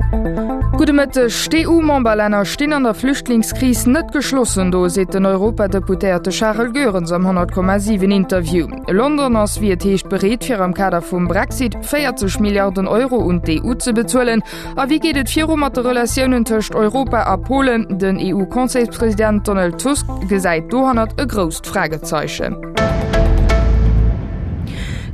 Gudde Mëtteg. D'EU-Memberlänner stinn an der Flüchtlingskris net geschlossen do, seet den Europadeputéierte Charel Goerens am 100,7 Interview. London ass, wéi et heescht, bereet fir am Kader vum Brexit 40 Milliarden Euro un d'EU ze bezuelen. A wéi geet et viru mat de Relatiounen tëscht Europa a Polen? Den EU-Conseilspresident Donald Tusk gesäit dohannert e grousst Fragezeichen.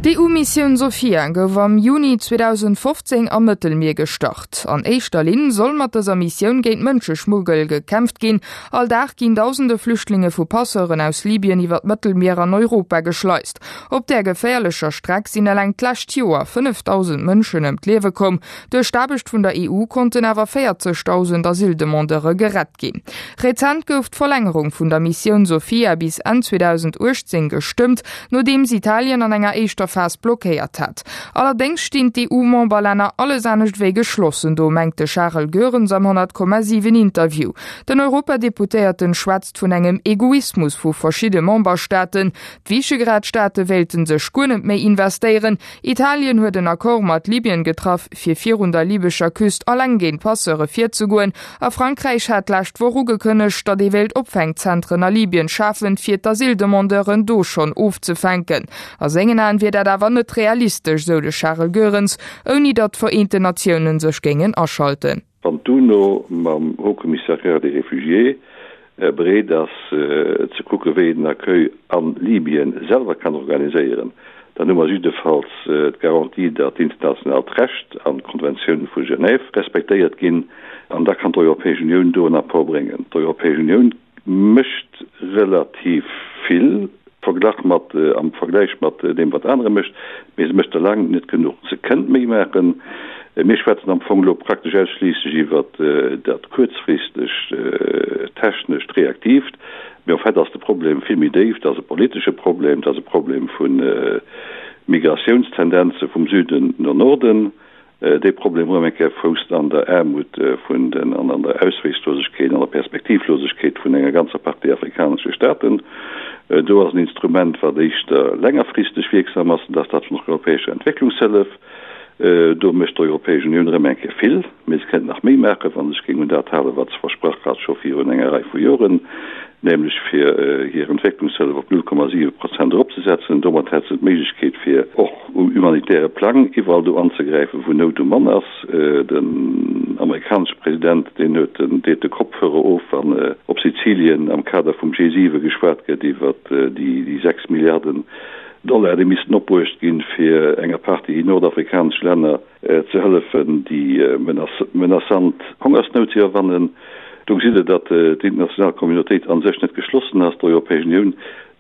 D'EU-Missioun Sophia gouf am Juni 2015 am Mëttelmier gestart. An éischter Linn soll mat dëser Missioun géint Mënscheschmuggel gekämpft ginn. All Dag ginn dausende Flüchtlinge vu Passeuren aus Libyen iwwer d'Mëttelmier an Europa geschleist. Op där geféierlecher Streck sinn eleng d'lescht Joer 5.000 Mënschen ëm d'Liewe komm. Duerch d'Aarbecht vun der EU konnten awer 40.000 Asyldemandeure gerett ginn. Rezent gouf d'Verlängerung vun der Missioun Sophia bis Enn 2018 gestëmmt, nodeems Italien an enger éischter Phas blockéiert hat. Allerdéngs stinn d'EU-Memberlänner alles anescht wéi geschlossen do, mengt de Charel Goerens am 100,7 Interview. Den Europadeputéierten schwätzt vun engem Egoismus vu verschidde Memberstaaten. D'Visegrad-Staate wéilte sech guer net méi investéieren, Italien huet en Accord mat Libyen getraff, fir virun der libescher Küst alleng géint Passeure virzegoen, a Frankräich hat d'lescht Woch ugekënnegt, datt ee wéilt Opfänkzentren a Libyen schafen, fir d'Asyldemandeuren do schonn ofzefänken. A sengen Aen wier dat awer net realistesch, sou de Charel Goerens, ouni datt d'Vereenten Natiounen sech géingen aschalten. Wann d'UNO mam Haut Commissariat des Réfugiés bereet ass ze kucke wéi een den Accueil a Libyen selwer kann organiséieren, dann hu mer jiddefalls d'Garantie, datt d'internationaalt Recht an d'Konventioun vu Genève respektéiert ginn. An da kann d'Europäesch Unioun do en Apport bréngen. D'Europäesch Unioun mécht relativ vill verglach mat, am Vergläich mat deem wat anere mécht, mee se mécht der laang net genuch. Se kënnt méi maachen. Mir schwätzen am Fong elo praktesch ausschliisslech iwwert dat kuerzfristegt, technescht, reaktiivt, mee en fait ass de Problem vill méi déif. Dat ass e politesche Problem, dat ass e Problem vu Migratiounstendenze vum Süden no Norden. Dee Problem erëm eng Kéier fousst an der Aarmut vun den an an der Ausweegslosegkeet, an der Perspektivlosegkeet vun enger ganzer Partie afrikanesche Staaten. Do ass en Instrument, wat éischter längerfristeg wierksam ass, an dat ass dat vun der europäescher Entwécklungshëllef. Do mécht d'Europäesch Unioun erëm eng Kéier vill, mee se kéint nach méi maachen, wa se sech géing un dat halen, wat se versprach hat scho virun enger Rei vu Joren, nämlech fir hir Entwécklungshëllef op 0,7 Prozent eropzesetzen. Domat hätt se d'Méiglechkeet, fir och um humanitäre Plang iwwerall do anzegräifen, wou Nout um Mann ass. Den amerikanesche President, deen huet den, deet de Kopfhörer of, wann op Sizilien am Kader vum G7 geschwat gëtt iwwert déi 6 Milliarden Dollar, déi missten opbruecht ginn, fir enger Partie nordafrikanesch Länner ze hëllefen, déi menaçant Hongersnout ze iwwerwannen. Do gesitt Der, datt d'international Communautéit a sech net geschlossen ass. D'Europäesch Unioun,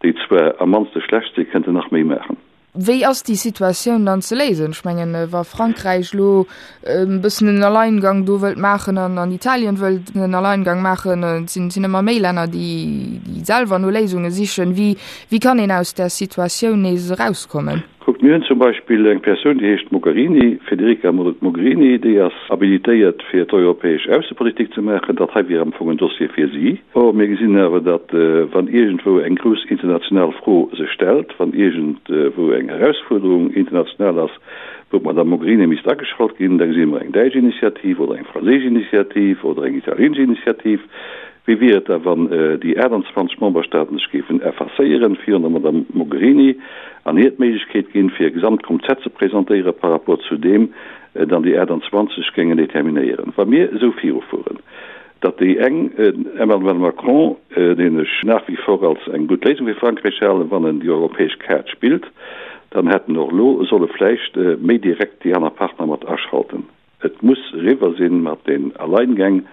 déi zwar am mannste schlecht sinn, kënnte nach méi maachen. Wéi ass déi Situatioun dann ze léisen? Ech mengen, wa Frankräich elo e bëssen en Alleingang do wëllt maachen an an Italien wëllt en Alleingang maachen, et sinn sinn ëmmer méi Länner, déi déi selwer no Léisunge sichen. Wéi wéi kann een aus där Situatioun nees erauskommen? Kuckt, mir hunn zum Beispill eng Persoun, déi heescht Mogherini, Federica Mogherini, déi ass habilitéiert fir d'europäesch Aussepolitik ze maachen. Dat hei wier am Fong en Dossier fir si. Or, mir gesinn awer, datt wann iergendwou eng grouss international Fro sech stellt, wann iergendwou eng Erausfuerderung international ass, wou d'Madame Mogherini misst ageschalt ginn, da gesi mer eng däitsch Initiativ oder eng franséisch Initiativ oder eng italienesch Initiativ. Wéi wier et da, wann déi 28 Memberstaaten sech géifen effacéieren virun der Madame Mogherini an hir d'Méiglechkeet ginn, fir e Gesamtkonzept ze presentéieren par rapport zu deem dann déi 28 géingen determinéieren? Wa mir esou virufueren, datt déi eng, den Emmanuel Macron, deen ech nach wie vor als eng gutt Léisung fir Frankräich halen, wann en déi europäesch Kaart spillt, dann hätt en och elo solle vläicht méi direkt déi aner Partner mat aschalten. Et muss eriwwer sinn mat den Alleingäng,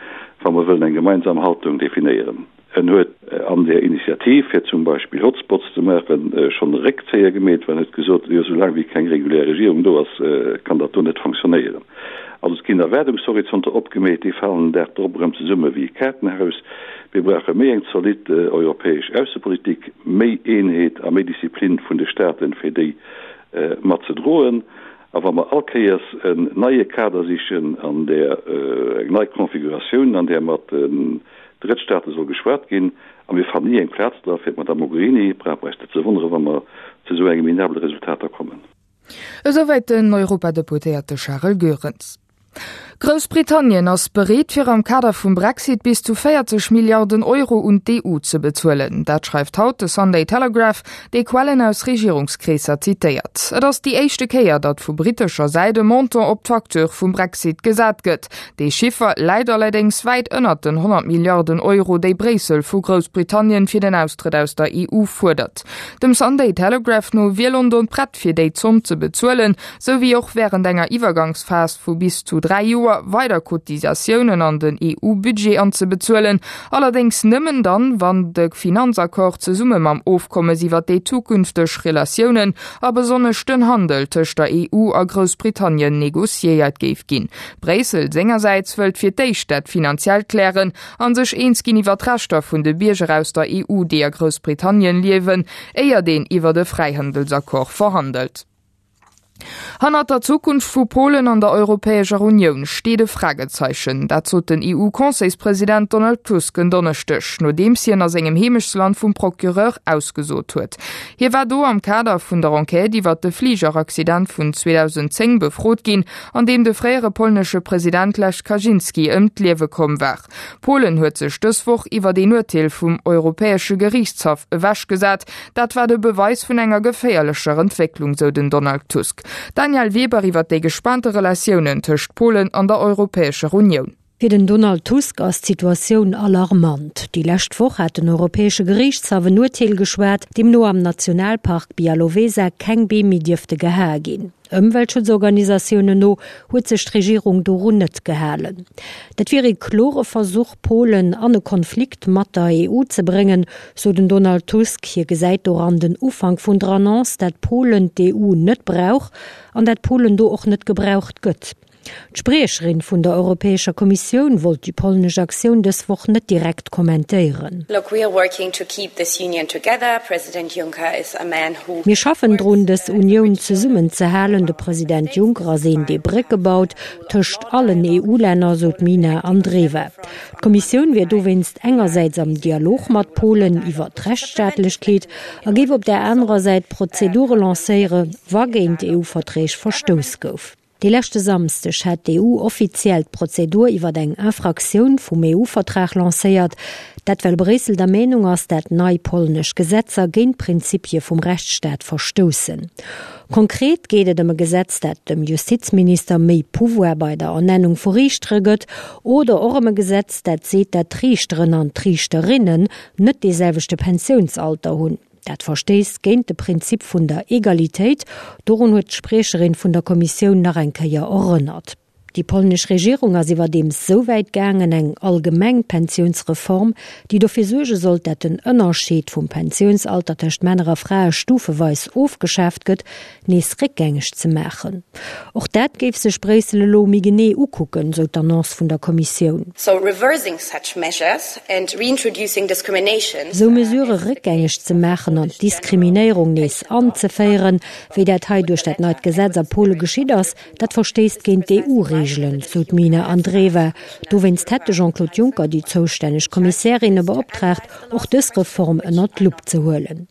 wa mer wëllen eng gemeinsam Haltung definéieren. En huet an där Initiativ, fir zum Beispill Hotspots ze maachen, schonn e Réckzéier gemeet, well en huet gesot, jo soulaang wéi keng regulär Regierung do ass, kann dat do net fonctionnéieren. Also et ginn Erwaardungshorizonter opgemeet, déi falen den Dag drop erëm zesumme wéi e Kaartenhaus. Mir brauche méi eng zolidd europäesch Aussepolitik, méi Eenheet a méi Disziplin vun de Staaten, fir déi mat ze droen. A wa mer all Kéiers en neie Kader sichen an där, eng nei Configuratioun, an där mat den Drëttstaate soll geschwat ginn, a mir fannen ni eng Plaz dra fir d'Madame Mogherini, brauche mer eis net ze wonneren, wa mer zu esou engem minabele Resultater kommen. Esouwäit den Europadeputéierte Charel Goerens. Groussbritannien ass bereet fir am Kader vum Brexit bis zu 40 Milliarden Euro un d'EU ze bezuelen. Dat schreift haut de Sunday Telegraph, dee Quellen aus Regierungskreesser zitéiert. Et ass déi éischte Kéier, datt vu brittescher Säit e Montant op d'Facture vum Brexit gesat gëtt. Dee Chiffer läit allerdéngs wäit ënnert den 100 Milliarden Euro, déi Bréissel vu Groussbritannien fir den Austrëtt aus der EU fuerdert. Dem Sunday Telegraph no wier London prett fir déi Zomm ze bezuelen, sou wéi och wärend enger Iwwergangsphas vu bis zu 3 Joer weider Cotisatiounen an den EU-Budget anzebezuelen, allerdéngs nëmmen dann, wann de Finanzaccord zesumme mam Ofkommes iwwer déi zukünfteg Relatiounen a besonnesch den Handel tëscht der EU a Groussbritannien negociéiert géif ginn. Bréissel sengersäits wëllt fir d'éischt dat Finanziellt klären a sech eens ginn iwwer d'Rechter vun de Bierger aus der EU, déi a Groussbritannien liewen, éiert een iwwert e Fräihandelsaccord verhandelt. Hannert der Zukunft vu Polen an der Europäescher Unioun steet e Fragezeichen. Dat sot den EU-Conseilspresident Donald Tusk en Donneschdeg, nodeems hien a sengem Heemechtsland vum Procureur ausgesot huet. Hie war do am Kader vun der Enquête iwwert de Fligeraccident vun 2010 befrot ginn, an deem de fréiere polnesche President Lech Kaczynski ëm d'Liewe komm war. Polen huet sech dës Woch iwwert een Urteel vum Europäesche Geriichtshaff ewechgesat. Dat war de Beweis vun enger geféierlecher Entwécklung, sou den Donald Tusk. D'Danièle Weber iwwert déi gespaante Relatiounen tëscht Polen an der Europäescher Unioun. Fir den Donald Tusk ass d'Situatioun alarmant. Déi lescht Woch hat den Europäesche Geriichtshaff en Urteel geschwat, deemno am Nationalpark Białowieża keng Beem méi dierfte gehae ginn. Ëmweltschutzorganisatiounen no huet sech d'Regierung dorun net gehalen. Dat wier ee klore Versuch, Polen an e Konflikt mat der EU ze bréngen, sou den Donald Tusk. Hie gesäit doran den Ufank vun der Annonce, dat Polen d'EU net brauch an dat Polen do och net gebraucht gëtt. D'Spriecherin vun der Europäescher Kommissioun wollt déi polnesch Aktioun dës Woch net direkt kommentéieren. Mir schaffen drun, dës Unioun zesummen ze halen. De President Juncker ass een, dee Brécke baut tëscht allen EU-Länner, sou d'Mina Andreeva. D'Kommissioun wier dowéinst engersäits am Dialog mat Polen iwwer d'Rechtsstaatlechkeet a géif op där anerer Säit Prozedure lancéiere wa géint EU-Verträg verstouss gouf. De leschte Samsdeg hat d'EU offiziell d'Prozedur iwwer eng Infraktioun vum EU-Vertrag lancéiert. Dat well Bréissel der Meenung ass, dat nei polnesch Gesetzer géint d'Prinzipie vum Rechtsstaat verstoussen. Konkret geet et ëm e Gesetz, dat dem Justizminister méi Pouvoir bei der Ernennung vu Riichtere gëtt, oder och ëm e Gesetz, dat seet, dat d'Riichteren an d'Riichterinnen net dee selwechte Pensiounsalter hunn. Dat verstéisst géint de Prinzip vun der Egalitéit, dorun huet d'Spriecherin vun der Kommissioun nach eng Kéier erënnert. Déi polnesch Regierung ass iwwerdeems sou wäit gaangen, eng allgemeng Pensiounsreform, déi dofir suerge sollt, dat den Ënnerscheed vum Pensiounsalter tëscht Männer a Frae stufeweis ofgeschaaft gëtt, nees réckgängeg ze maachen. Och dat géif sech Bréissel elo méi genee ukucken, sou d'Annonce vun der Kommissioun. Sou Mesurë réckgängeg ze maachen an d'Diskriminéierung nees anzeféieren, wéi dat hei duerch dat neit Gesetz a Pole geschitt ass, dat verstéisst géint d'EU-Reegelen, sou d'Mina Andreeva. Dowéinst hätt de Jean-Claude Juncker déi zoustänneg Kommissärinne beoptraagt, och dës Reform ënnert d'Lupp ze huelen.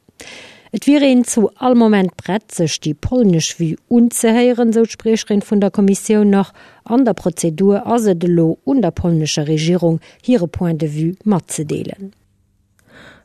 Et wier een zu all Moment prett, sech déi polnesch Vue unzehéieren, sou d'Spriecherin vun der Kommissioun nach. An der Prozedur ass et elo un der polnescher Regierung, hire Point de vue matzedeelen.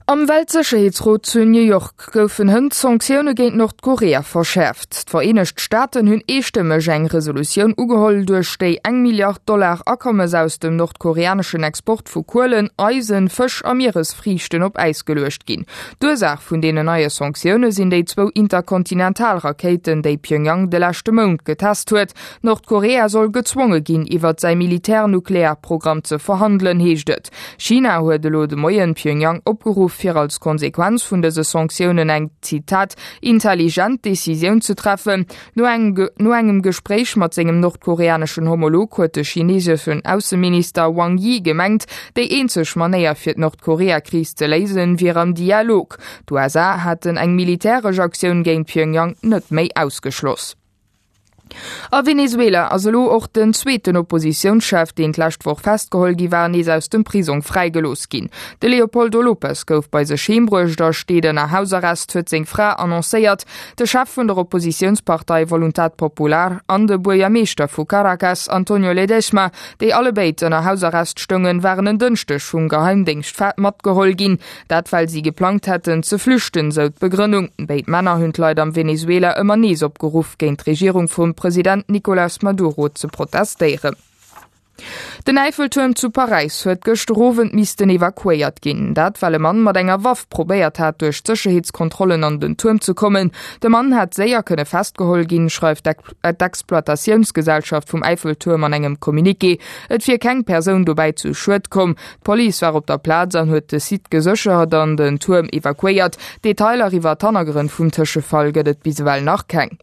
Am Weltsécherheetsrot zu New York goufen hënt d'Sanktioune géint Nordkorea verschäerft. D'Vereenegt Staaten hunn eestëmmeg eng Resolutioun ugeholl, duerch déi eng Milliard Dollar Akommes aus dem nordkoreaneschen Export vu Kuelen, Eisen, Fësch a Mieresfriichten op Äis geluecht ginn. D'Ursaach vun deenen neie Sanktioune sinn déi zwou Interkontinentalrakéiten, déi Pjöngjang de leschte Mount getest huet. Nordkorea soll gezwonge ginn, iwwert säi Militär-Nuklearprogramm ze verhandelen, heescht et. China huet elo de Moien Pjöngjang opgeruff, fir als Konsequenz vun dëse Sanktiounen eng, Zitat, intelligent Decisioun ze treffen. No engem Gespréich mat sengem nordkoreaneschen Homolog huet de chineeseschen Ausseminister Wang Yi gemengt, déi eenzeg Manéier fir d'Nordkorea-Kris ze léisen, wier am Dialog. D'USA haten eng militäresch Aktioun géint Pjöngjang net méi ausgeschloss. A Venezuela ass elo och den zweeten Oppositiounschef, deen d'lescht Woch festgeholl gi war, nees aus dem Prisong fräigelooss ginn. De Leopoldo Lopez gouf bei sech heem bruecht a steet ënner Hausarrest, huet seng Fra annoncéiert. De Chef vun der Oppositiounspartei Voluntad Popular an de Buergermeeschter vu Caracas, Antonio Ledezma, déi allebéid ënner Hausarrest stoungen, waren en Dënschdeg vum Geheimdéngscht matgeholl ginn. Dat well si geplangt hätten ze flüchten, sou d'Begrënnung. Béid Männer hunn d'Leit am Venezuela ëmmer nees opgeruff, géint d'Regierung vum President Nicolas Maduro ze protestéieren. Den Äiffeltuerm zu Paräis huet gëschter Owend missten evakuéiert ginn. Dat well e Mann mat enger Waff probéiert hat, duerch d'Sécherheetskontrollen an den Tuerm ze kommen. De Mann hätt séier kënne festgeholl ginn, schreift d'Exploitatiounsgesellschaft vum Äiffeltuerm an engem Communiqué. Et wier keng Persoun dobäi zu Schued komm. D'Police war op der Plaz an huet de Site geséchert an den Tuerm evakuéiert. Detailer iwwer d'Hannergrënn vum Tëschefall gëtt et bis ewell nach keng.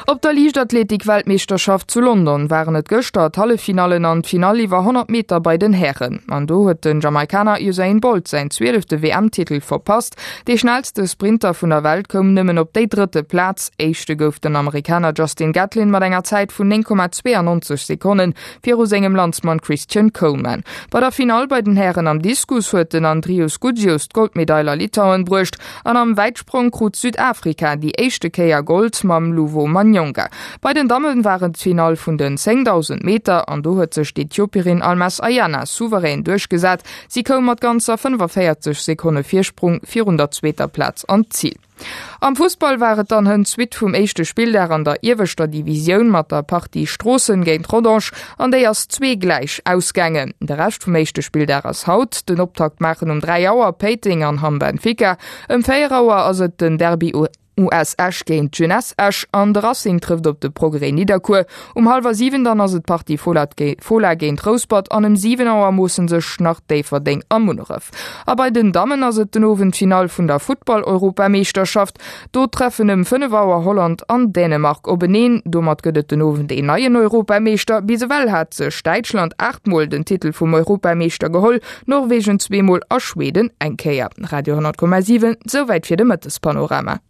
Op der Liichtathletik-Weltmeeschterschaft zu London waren et gëschter d'Halleffinallen an d'Finall iwwer 100 Meter bei den Hären. An do huet den Jamaikaner Usain Bolt säin zwielefte WM-Titel verpasst. Dee schnellste Sprinter vun der Welt koum nëmmen op déi drëtte Plaz. Éischte gouf den Amerikaner Justin Gatlin mat enger Zäit vun 9,92 Sekonnen. Viru sengem Landsmann Christian Coleman. Bei der Finall bei den Hären am Diskus huet den Andrius Gudzius d'Goldmedail a Litauen bruecht an am Wäitsprong krut Südafrika déi éischte Kéier Gold mam Luvo Manyonga. Bei den Damme war et d'Finall vun den 10.000 Meter an do huet sech d'Ethiopierin Almaz Ayana souverän duerchgesat. Si koum mat ganzer 45 Sekonne Virsprung virun der zweeter Plaz an d'Zil. Am Fussball war et dann hënt d'Suite vum éischte Spilldag an der ieweschter Divisioun mat der Partie Stroossen géint Rodange an déi ass zwee gläich ausgaangen. De Rescht vum éischte Spilldag ass haut. Den Optakt maachen um 3 Auer Péiteng an Hamm Benfica. Ëm 4 Auer ass et den Derby US Esch géint Jeunesse Esch an de Racing trëfft op de Progrès Nidderkuer. Um hallwer 7 dann ass et d'Partie Fola géint Rouspert an ëm 7 Auer moosse sech nach Déifferdeng a Munneref. A bei den Dammen ass et den Owend d'Finall vun der Futtball-Europameeschterschaft. Do treffen ëm 5 Auer Holland an Dänemark openeen. Domat gëtt et den Owend een neien Europameeschter. Bis ewell hat sech Däitschland 8 Mol den Titel vum Europameeschter geholl, Norwegen zweemol a Schweden eng Kéier. Radio 10,7, Souwäit fir de Mëttespanorama.